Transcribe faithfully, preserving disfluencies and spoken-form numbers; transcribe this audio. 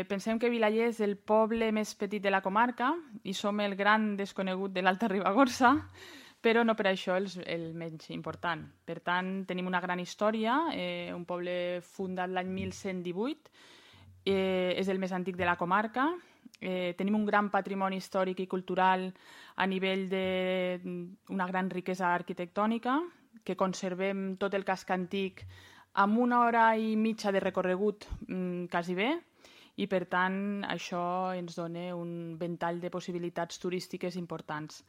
pensem que Vilaller és el poble més petit de la comarca i som el gran desconegut de l'Alta Ribagorça, però no per això el, el menys important. Per tant, tenim una gran història, eh, un poble fundat l'any mil cent divuit, eh, és el més antic de la comarca, eh, tenim un gran patrimoni històric i cultural a nivell d'una gran riquesa arquitectònica, que conservem tot el casc antic amb una hora i mitja de recorregut mm, quasi bé, i per tant això ens dona un ventall de possibilitats turístiques importants.